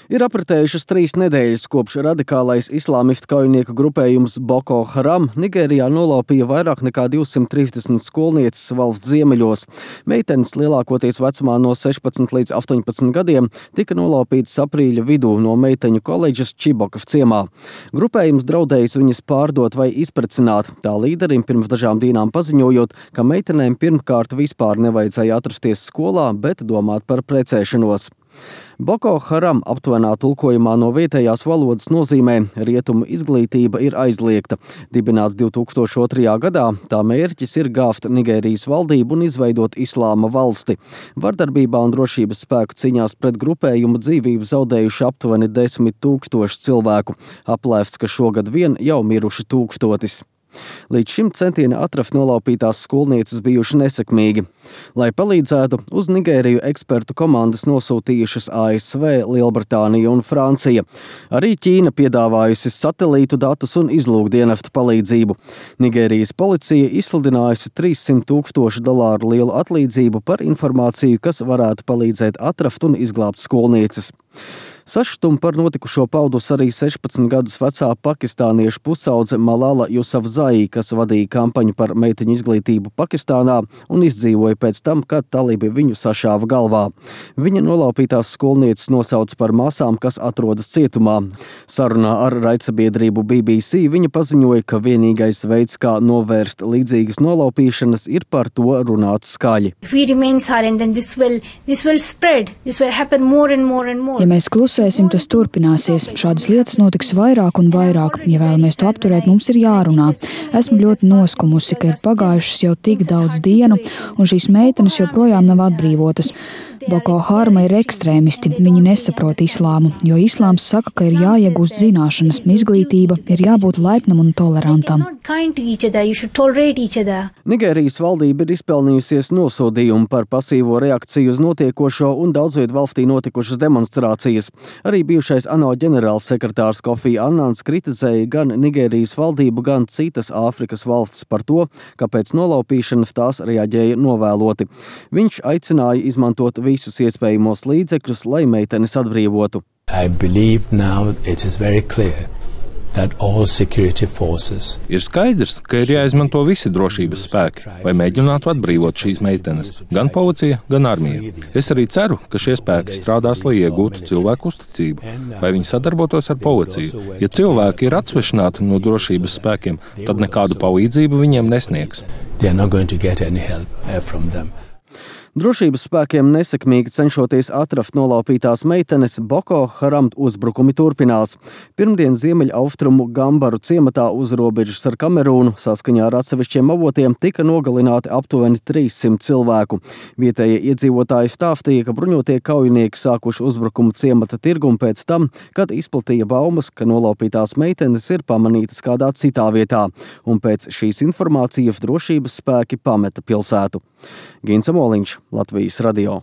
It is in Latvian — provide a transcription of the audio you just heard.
Ir apritējušas 3 nedēļas, kopš radikālais islāmistu kaujinieku grupējums Boko Haram Nigērijā nolaupīja vairāk nekā 230 skolnieces valsts ziemeļos. Meitenes lielākoties vecumā no 16 līdz 18 gadiem tika nolaupītas aprīļa vidū no meiteņu koledžas Čibokaf ciemā. Grupējums draudējis viņas pārdot vai izprecināt, tā līderim pirms dažām dienām paziņojot, ka meitenēm pirmkārt vispār nevajadzēja atrasties skolā, bet domāt par precēšanos. Boko Haram aptuvenā tulkojumā no vietējās valodas nozīmē rietumu izglītība ir aizliegta. Dibināts 2002. gadā, tā mērķis ir gāzt Nigērijas valdību un izveidot islāma valsti. Vardarbībā un drošības spēku cīņās pret grupējumu dzīvību zaudējuši aptuveni 10 000 cilvēku. Aplēsts, ka šogad vien jau miruši 1000. Līdz šim centieni atrast nolaupītās skolnieces bijuši nesekmīgi. Lai palīdzētu, uz Nigēriju ekspertu komandas nosūtījušas ASV, Lielbritānija un Francija. Arī Ķīna piedāvājusi satelītu datus un izlūkdienestu palīdzību. Nigērijas policija izsludinājusi $300,000 lielu atlīdzību par informāciju, kas varētu palīdzēt atrast un izglābt skolnieces. Sašutumu par notikušo paudus arī 16 gadus vecā pakistāniešu pusaudze Malala Jusafzai, kas vadīja kampaņu par meiteņu izglītību Pakistānā un izdzīvoja pēc tam, kad talibi viņu sašāva galvā. Viņa nolaupītās skolnieces nosauca par māsām, kas atrodas cietumā. Sarunā ar raidsabiedrību BBC viņa paziņoja, ka vienīgais veids, kā novērst līdzīgas nolaupīšanas, ir par to runāt skaļi. Ja mēs klusēsim, tas turpināsies. Šādas lietas notiks vairāk un vairāk. Ja vēlamies to apturēt, mums ir jārunā. Esmu ļoti noskumusi, ka ir pagājušas jau tik daudz dienu, un šīs meitenes joprojām nav atbrīvotas. Boko Harama ir ekstrēmisti. Viņi nesaprot islāmu, jo islāms saka, ka ir jāiegūst zināšanas, izglītība, ir jābūt laipnam un tolerantam. Nigērijas valdība ir izpelnījusies nosodījumu par pasīvo reakciju uz notiekošo un daudzviet valstī notikušas demonstrācijas. Arī bijušais ANO ģenerālsekretārs Kofi Annans kritizēja gan Nigērijas valdību, gan citas Āfrikas valstis par to, ka pēc nolaupīšanas tās reaģēja novēloti. Viņš aicināja izmantot visus iespējamos līdzekļus, lai meitenes atbrīvotu. Ir skaidrs, ka ir jāizmanto visi drošības spēki, lai mēģinātu atbrīvot šīs meitenes, gan policija, gan armija. Es arī ceru, ka šie spēki strādās, lai iegūtu cilvēku uzticību, lai viņi sadarbotos ar policiju. Ja cilvēki ir atsvešināti no drošības spēkiem, tad nekādu palīdzību viņiem nesniegs. Drošības spēkiem nesekmīgi cenšoties atrast nolaupītās meitenes, Boko Haram uzbrukumi turpinās. Pirmdien ziemeļaustrumu Gambaru ciematā uz robežas ar Kamerūnu saskaņā ar atsevišķiem avotiem tika nogalināti aptuveni 300 cilvēku. Vietējie iedzīvotāji stāstīja, ka bruņotie kaujinieki sākuši uzbrukumu ciemata tirgumu pēc tam, kad izplatīja baumas, ka nolaupītās meitenes ir pamanītas kādā citā vietā, un pēc šīs informācijas drošības spēki pameta pilsētu. Gins Amoliņš, Latvijas radio.